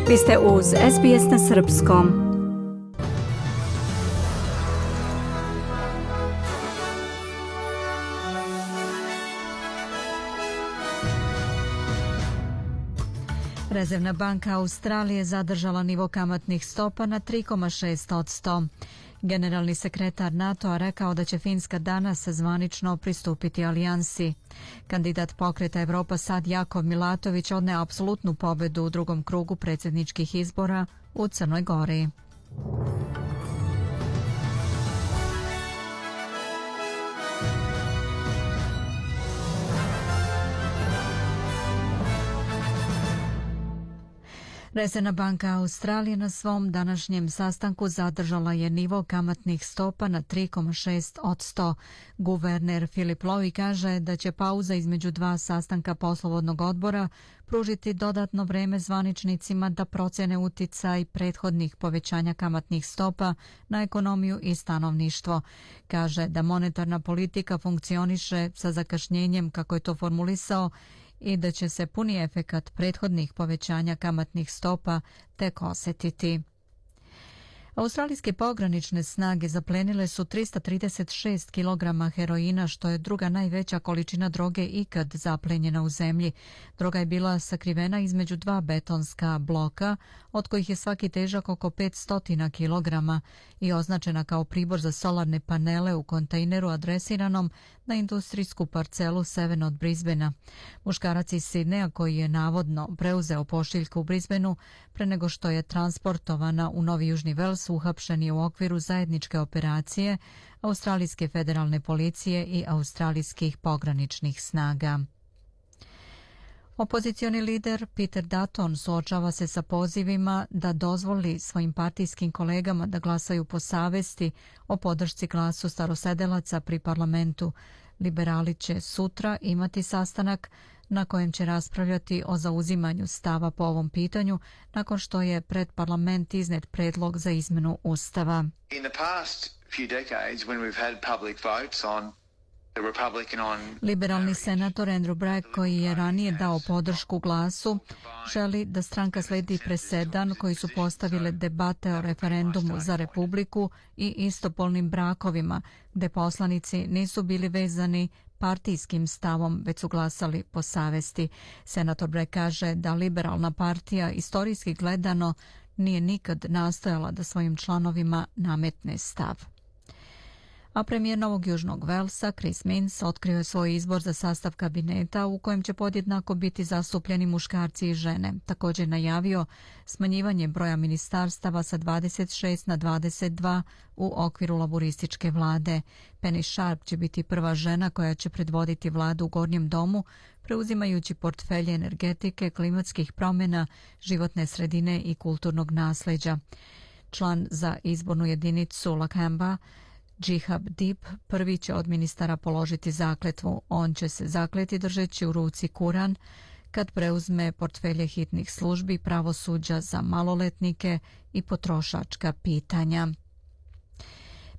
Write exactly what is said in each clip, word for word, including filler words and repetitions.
Vi ste uz S B S na srpskom. Rezervna banka Australije zadržala nivo kamatnih stopa na tri zarez šest posto. Generalni sekretar NATO-a rekao da će Finska danas zvanično pristupiti alijansi. Kandidat pokreta Evropa Sad Jakov Milatović odneo apsolutnu pobedu u drugom krugu predsjedničkih izbora u Crnoj Gori. Rezervna banka Australije na svom današnjem sastanku zadržala je nivo kamatnih stopa na tri zarez šest posto. Guverner Philip Lowe kaže da će pauza između dva sastanka poslovodnog odbora pružiti dodatno vreme zvaničnicima da procene uticaj prethodnih povećanja kamatnih stopa na ekonomiju i stanovništvo. Kaže da monetarna politika funkcioniše sa zakašnjenjem, kako je to formulisao, i da će se puni efekat prethodnih povećanja kamatnih stopa tek osjetiti. Australijske pogranične snage zaplenile su trista trideset šest kilograma heroina, što je druga najveća količina droge ikad zaplenjena u zemlji. Droga je bila sakrivena između dva betonska bloka, od kojih je svaki težak oko petsto kilograma i označena kao pribor za solarne panele u kontejneru adresiranom na industrijsku parcelu severno od Brisbanea. Muškarac iz Sidneja, koji je navodno preuzeo pošiljku u Brisbaneu pre nego što je transportovana u Novi Južni Vels, uhapšen je u okviru zajedničke operacije Australijske federalne policije i australijskih pograničnih snaga. Opozicioni lider Peter Dutton suočava se sa pozivima da dozvoli svojim partijskim kolegama da glasaju po savesti o podršci glasu starosedelaca pri parlamentu. Liberali će sutra imati sastanak na kojem će raspravljati o zauzimanju stava po ovom pitanju nakon što je pred parlament iznet predlog za izmenu ustava. In the past few decades when we've had public votes on the Republican on Liberalni senator Andrew Bragg, koji je ranije dao podršku glasu, želi da stranka sledi presedan koji su postavile debate o referendumu za Republiku i istopolnim brakovima, gde poslanici nisu bili vezani partijskim stavom, već su glasali po savesti. Senator Bragg kaže da liberalna partija istorijski gledano nije nikad nastojala da svojim članovima nametne stav. A premijer Novog Južnog Velsa, Chris Minns, otkrio je svoj izbor za sastav kabineta u kojem će podjednako biti zastupljeni muškarci i žene. Također je najavio smanjivanje broja ministarstava sa dvadeset šest na dvadeset dva u okviru laborističke vlade. Penny Sharp će biti prva žena koja će predvoditi vladu u Gornjem domu, preuzimajući portfelje energetike, klimatskih promjena, životne sredine i kulturnog nasljeđa. Član za izbornu jedinicu Lakamba, Jihab Deep, prvi će od ministara položiti zakletvu. On će se zakleti držeći u ruci Kuran kad preuzme portfelje hitnih službi, pravosuđa za maloletnike i potrošačka pitanja.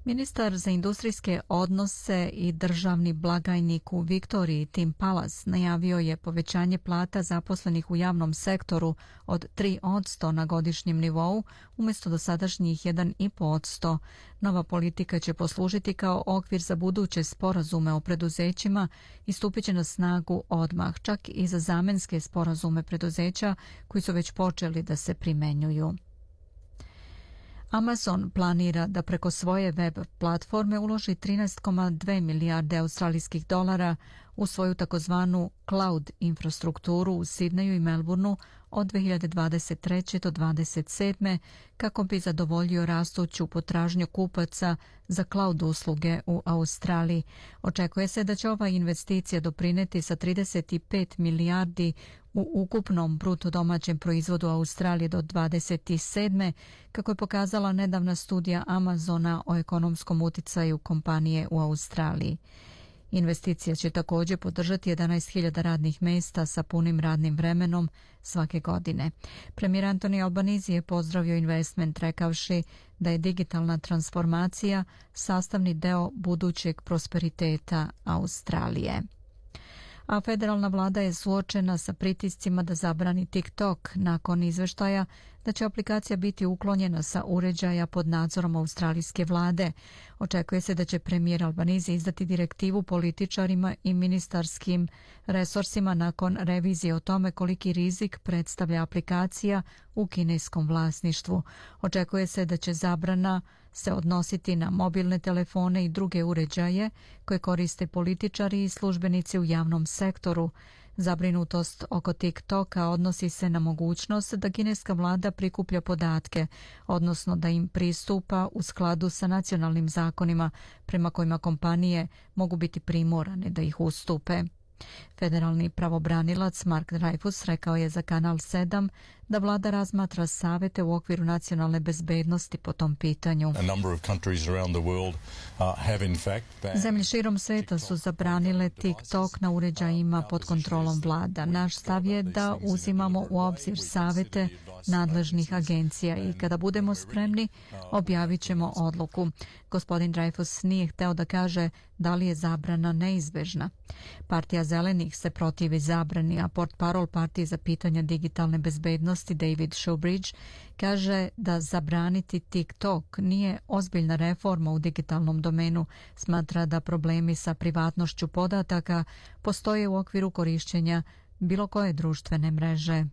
Ministar za industrijske odnose i državni blagajnik u Viktoriji Tim Pallas najavio je povećanje plata zaposlenih u javnom sektoru od tri posto na godišnjem nivou umjesto dosadašnjih jedan zarez pet posto. Nova politika će poslužiti kao okvir za buduće sporazume o preduzećima i stupit će na snagu odmah, čak i za zamenske sporazume preduzeća koji su već počeli da se primenjuju. Amazon planira da preko svoje web platforme uloži trinaest zarez dve milijarde australijskih dolara u svoju takozvanu cloud infrastrukturu u Sidneju i Melbourneu od dve hiljade dvadeset treće do dvadeset sedme kako bi zadovoljio rastuću potražnju kupaca za cloud usluge u Australiji. Očekuje se da će ova investicija doprineti sa trideset pet milijardi u ukupnom bruto domaćem proizvodu Australije do dvadeset sedme, kako je pokazala nedavna studija Amazona o ekonomskom uticaju kompanije u Australiji. Investicija će također podržati jedanaest hiljada radnih mjesta sa punim radnim vremenom svake godine. Premijer Anthony Albanese je pozdravio investment rekavši da je digitalna transformacija sastavni deo budućeg prosperiteta Australije. A federalna vlada je suočena sa pritiscima da zabrani TikTok nakon izveštaja da će aplikacija biti uklonjena sa uređaja pod nadzorom australijske vlade. Očekuje se da će premijer Albanese izdati direktivu političarima i ministarskim resursima nakon revizije o tome koliki rizik predstavlja aplikacija u kineskom vlasništvu. Očekuje se da će zabrana se odnositi na mobilne telefone i druge uređaje koje koriste političari i službenici u javnom sektoru. Zabrinutost oko TikToka odnosi se na mogućnost da kineska vlada prikuplja podatke, odnosno da im pristupa u skladu sa nacionalnim zakonima prema kojima kompanije mogu biti primorane da ih ustupe. Federalni pravobranilac Mark Dreyfus rekao je za Kanal sedam da vlada razmatra savete u okviru nacionalne bezbednosti po tom pitanju. Zemlje širom sveta su zabranile TikTok na uređajima pod kontrolom vlada. Naš stav je da uzimamo u obzir savete nadležnih agencija i kada budemo spremni objavit ćemo odluku. Gospodin Dreyfus nije hteo da kaže da li je zabrana neizbežna. Partija Zelenih se protivi zabrani, a portparol partije za pitanja digitalne bezbednosti David Shoebridge kaže da zabraniti TikTok nije ozbiljna reforma u digitalnom domenu. Smatra da problemi sa privatnošću podataka postoje u okviru korišćenja bilo koje društvene mreže.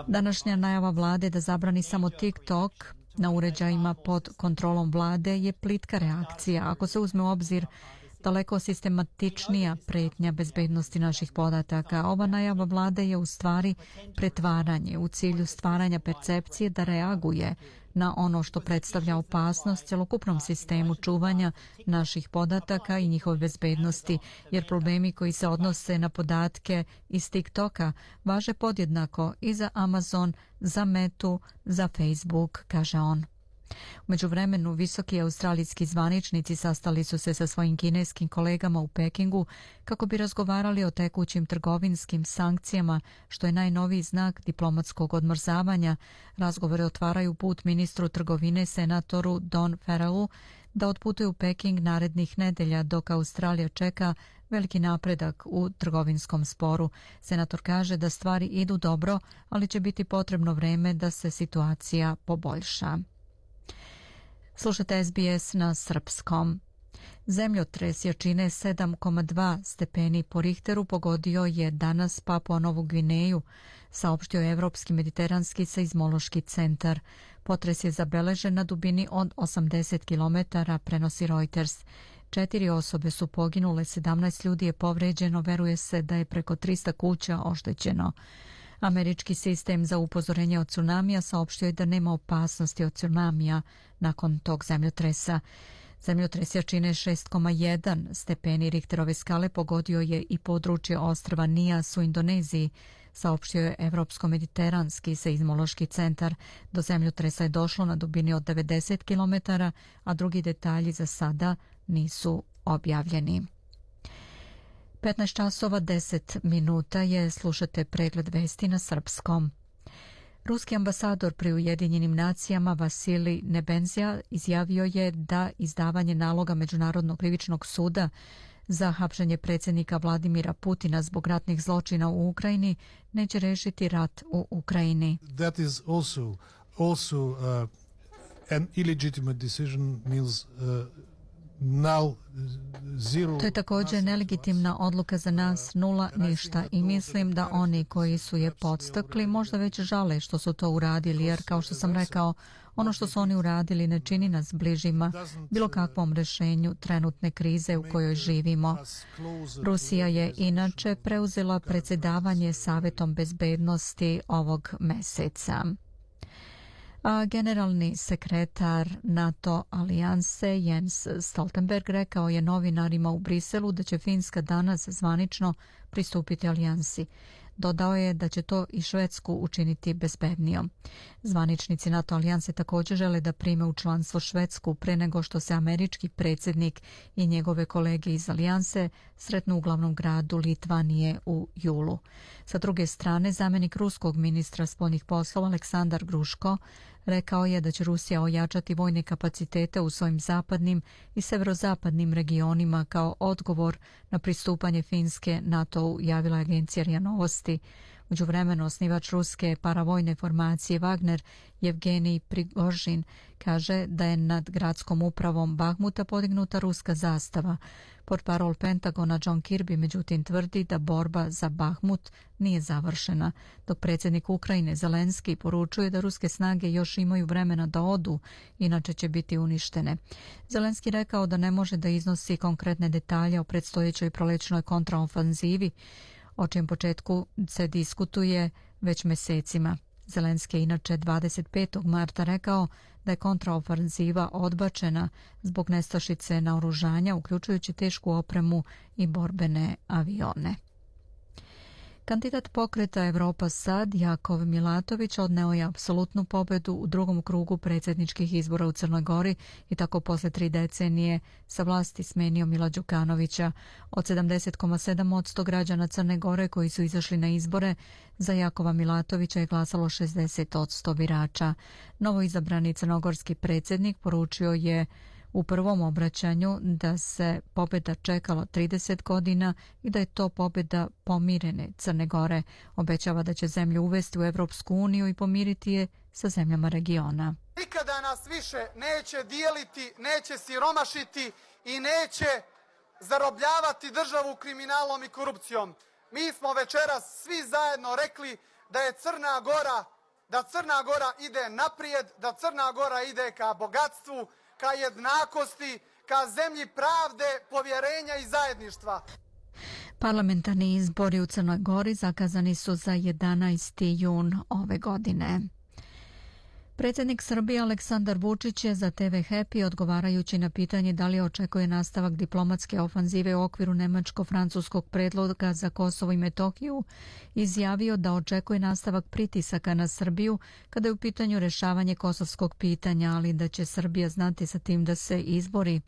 Današnja najava vlade da zabrani samo TikTok na uređajima pod kontrolom vlade je plitka reakcija ako se uzme u obzir daleko sistematičnija pretnja bezbednosti naših podataka. Ova najava vlade je u stvari pretvaranje u cilju stvaranja percepcije da reaguje na ono što predstavlja opasnost celokupnom sistemu čuvanja naših podataka i njihove bezbednosti, jer problemi koji se odnose na podatke iz TikToka važe podjednako i za Amazon, za Metu, za Facebook, kaže on. U međuvremenu, visoki australijski zvaničnici sastali su se sa svojim kineskim kolegama u Pekingu kako bi razgovarali o tekućim trgovinskim sankcijama, što je najnoviji znak diplomatskog odmrzavanja. Razgovore otvaraju put ministru trgovine senatoru Don Farrellu da otputuje u Peking narednih nedelja dok Australija čeka veliki napredak u trgovinskom sporu. Senator kaže da stvari idu dobro, ali će biti potrebno vreme da se situacija poboljša. Slušajte S B S na srpskom. Zemljotres jačine sedam zarez dva stepeni po Richteru pogodio je danas Papua Novu Gvineju, saopštio je Evropski mediteranski seizmološki centar. Potres je zabeležen na dubini od osamdeset kilometara, prenosi Reuters. Četiri osobe su poginule, sedamnaest ljudi je povređeno, veruje se da je preko trista kuća oštećeno. Američki sistem za upozorenje od tsunamija saopštio je da nema opasnosti od tsunamija nakon tog zemljotresa. Zemljotres jačine šest zarez jedan stepeni Richterove skale pogodio je i područje ostrva Nias u Indoneziji, saopštio je Evropsko-mediteranski seizmološki centar. Do zemljotresa je došlo na dubini od devedeset kilometara, a drugi detalji za sada nisu objavljeni. petnaest časova deset minuta je, slušate pregled vesti na srpskom. Ruski ambasador pri Ujedinjenim nacijama Vasilij Nebenzija izjavio je da izdavanje naloga Međunarodnog krivičnog suda za hapšenje predsjednika Vladimira Putina zbog ratnih zločina u Ukrajini neće rešiti rat u Ukrajini. That is also also uh, an illegitimate decision, means uh, now zero. To je također nelegitimna odluka za nas, nula, ništa, i mislim da oni koji su je podstakli možda već žale što su to uradili, jer kao što sam rekao, ono što su oni uradili ne čini nas bližima bilo kakvom rešenju trenutne krize u kojoj živimo. Rusija je inače preuzela predsjedavanje Savetom bezbednosti ovog meseca. A generalni sekretar NATO alijanse Jens Stoltenberg rekao je novinarima u Briselu da će Finska danas zvanično pristupiti alijansi. Dodao je da će to i Švedsku učiniti bezbednijom. Zvaničnici NATO alijanse također žele da prime u članstvo Švedsku pre nego što se američki predsjednik i njegove kolege iz alijanse sretnu u glavnom gradu Litvanije u julu. Sa druge strane, zamjenik ruskog ministra spoljnih poslova Aleksandar Gruško Rekao je da će Rusija ojačati vojne kapacitete u svojim zapadnim i severozapadnim regionima kao odgovor na pristupanje Finske NATO-u, javila je agencija R I A Novosti. Međuvremeno, osnivač ruske paravojne formacije Wagner, Jevgenij Prigožin, kaže da je nad gradskom upravom Bahmuta podignuta ruska zastava. Portparol Pentagona John Kirby međutim tvrdi da borba za Bahmut nije završena, dok predsjednik Ukrajine Zelenski poručuje da ruske snage još imaju vremena da odu, inače će biti uništene. Zelenski rekao da ne može da iznosi konkretne detalje o predstojećoj prolećnoj kontraofanzivi, o čijem početku se diskutuje već mjesecima. Zelenski je inače dvadeset petog marta rekao da je kontraofanziva odbačena zbog nestašice naoružanja, uključujući tešku opremu i borbene avione. Kandidat pokreta Evropa Sad, Jakov Milatović, odneo je apsolutnu pobedu u drugom krugu predsjedničkih izbora u Crnoj Gori i tako posle tri decenije sa vlasti smenio Mila Đukanovića. Od sedamdeset zarez sedam posto građana Crne Gore koji su izašli na izbore, za Jakova Milatovića je glasalo šezdeset posto birača. Novoizabrani crnogorski predsjednik poručio je u prvom obraćanju da se pobjeda čekalo trideset godina i da je to pobjeda pomirene Crne Gore. Obećava da će zemlju uvesti u Evropsku uniju i pomiriti je sa zemljama regiona. Nikada nas više neće dijeliti, neće siromašiti i neće zarobljavati državu kriminalom i korupcijom. Mi smo večeras svi zajedno rekli da je Crna Gora, da Crna Gora ide naprijed, da Crna Gora ide ka bogatstvu, ka jednakosti, ka zemlji pravde, povjerenja i zajedništva. Parlamentarni izbori u Crnoj Gori zakazani su za jedanaesti jun ove godine. Predsjednik Srbije Aleksandar Vučić je za te ve Happy, odgovarajući na pitanje da li očekuje nastavak diplomatske ofanzive u okviru nemačko-francuskog predloga za Kosovo i Metohiju, izjavio da očekuje nastavak pritisaka na Srbiju kada je u pitanju rešavanje kosovskog pitanja, ali da će Srbija znati sa tim da se izbori.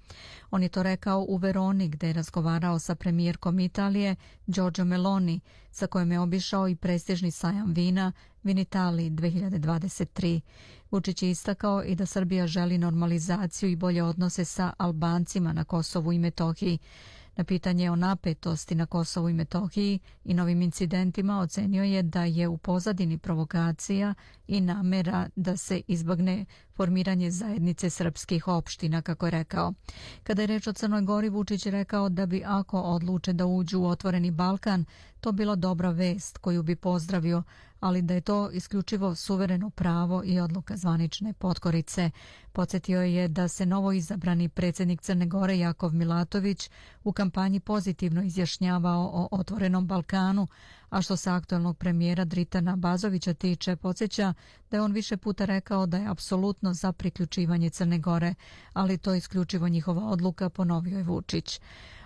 On je to rekao u Veroni, gde je razgovarao sa premijerkom Italije Giorgia Meloni, sa kojom je obišao i prestižni sajam vina Vinitali dve hiljade dvadeset tri. Vučić je istakao i da Srbija želi normalizaciju i bolje odnose sa Albancima na Kosovu i Metohiji. Na pitanje o napetosti na Kosovu i Metohiji i novim incidentima ocenio je da je u pozadini provokacija i namera da se izbjegne formiranje zajednice srpskih opština, kako je rekao. Kada je reč o Crnoj Gori, Vučić je rekao da bi ako odluče da uđu u otvoreni Balkan, to bila dobra vest koju bi pozdravio, ali da je to isključivo suvereno pravo i odluka zvanične potkorice. Podsjetio je da se novo izabrani predsjednik Crne Gore Jakov Milatović u kampanji pozitivno izjašnjavao o otvorenom Balkanu, a što se aktualnog premijera Dritana Bazovića tiče, podsjeća da je on više puta rekao da je apsolutno za priključivanje Crne Gore, ali to je isključivo njihova odluka, ponovio je Vučić.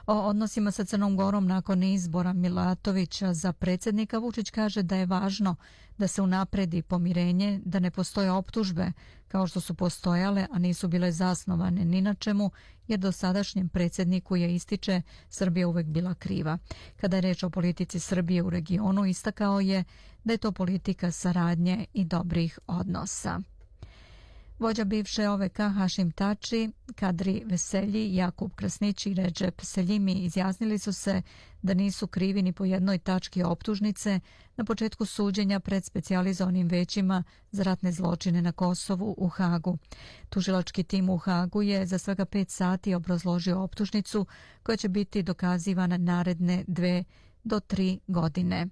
O odnosima sa Crnom Gorom nakon izbora Milatovića za predsjednika, Vučić kaže da je važno da se unapredi pomirenje, da ne postoje optužbe kao što su postojale, a nisu bile zasnovane ni na čemu, jer dosadašnjem predsjedniku je, ističe, Srbija uvek bila kriva. Kada je reč o politici Srbije u regionu, istakao je da je to politika saradnje i dobrih odnosa. Vođa bivše O V K Hašim Tači, Kadri Veselji, Jakub Krasnić i Recep Seljimi izjasnili su se da nisu krivi ni po jednoj tački optužnice na početku suđenja pred specijalizovanim većima za ratne zločine na Kosovu u Hagu. Tužilački tim u Hagu je za svega pet sati obrazložio optužnicu koja će biti dokazivana naredne dve do tri godine.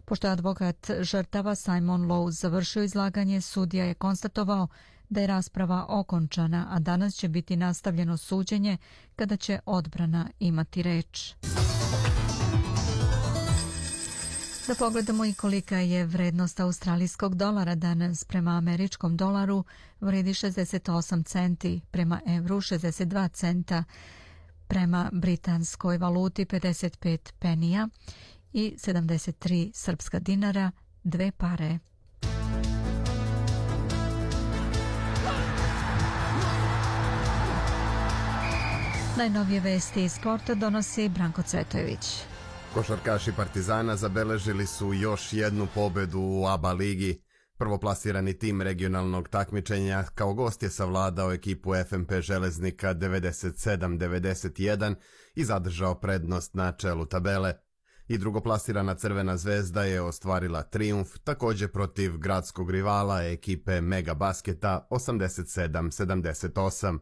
Pošto je advokat žrtava Simon Lowe završio izlaganje, sudija je konstatovao da je rasprava okončana, a danas će biti nastavljeno suđenje kada će odbrana imati reč. Da pogledamo i kolika je vrednost australijskog dolara danas. Prema američkom dolaru vredi šezdeset osam centi, prema evru šezdeset dva centa, prema britanskoj valuti pedeset pet penija i sedamdeset tri srpska dinara, dve pare. Najnovije vesti iz sporta donosi Branko Cvetojević. Košarkaši Partizana zabeležili su još jednu pobedu u A B A ligi. Prvoplasirani tim regionalnog takmičenja kao gost je savladao ekipu F M P Železnika devedeset sedam devedeset jedan i zadržao prednost na čelu tabele. I drugoplasirana Crvena zvezda je ostvarila trijumf također protiv gradskog rivala ekipe Mega Basketa osamdeset sedam sedamdeset osam.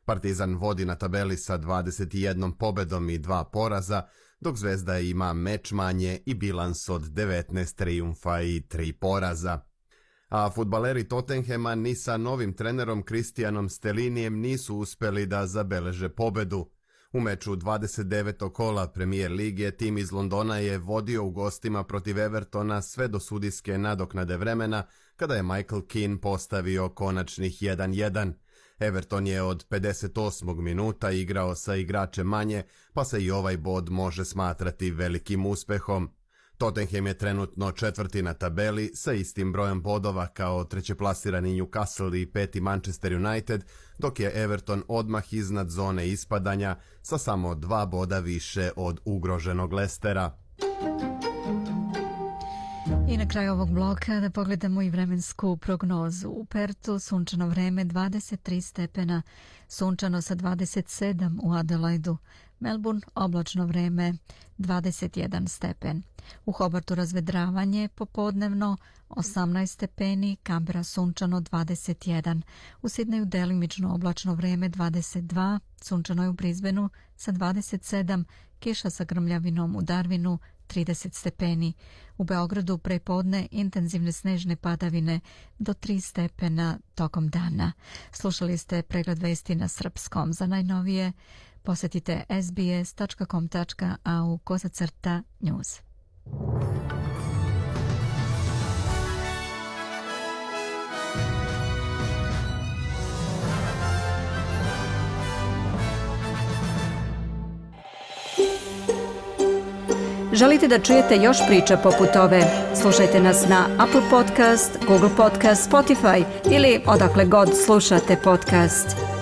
Partizan vodi na tabeli sa dvadeset jednom pobedom i dva poraza, dok Zvezda ima meč manje i bilans od devetnaest trijumfa i tri poraza. A fudbaleri Tottenhema ni sa novim trenerom Kristijanom Stellinijem nisu uspjeli da zabeleže pobedu. U meču dvadeset devetog kola Premier lige tim iz Londona je vodio u gostima protiv Evertona sve do sudijske nadoknade vremena, kada je Michael Keane postavio konačnih jedan jedan. Everton je od pedeset osmog minuta igrao sa igračem manje, pa se i ovaj bod može smatrati velikim uspehom. Tottenham je trenutno četvrti na tabeli sa istim brojem bodova kao trećeplasirani Newcastle i peti Manchester United, dok je Everton odmah iznad zone ispadanja sa samo dva boda više od ugroženog Leicestera. I na kraju ovog bloka da pogledamo i vremensku prognozu. U Pertu sunčano vreme dvadeset tri stepena, sunčano sa dvadeset sedam u Adelaidu. Melbourne oblačno vreme dvadeset jedan stepen. U Hobartu razvedravanje popodnevno osamnaest stepeni, Canberra sunčano dvadeset jedan. U Sidneju delimično oblačno vreme dvadeset dva, sunčano je u Brisbaneu sa dvadeset sedam, kiša sa grmljavinom u Darwinu trideset stepeni. U Beogradu prepodne intenzivne snežne padavine do tri stepena tokom dana. Slušali ste pregled vesti na srpskom. Za najnovije posjetite s b s tačka com tačka a u kozacrta news. Želite da čujete još priča poput ove? Slušajte nas na Apple Podcast, Google Podcast, Spotify ili odakle god slušate podcast.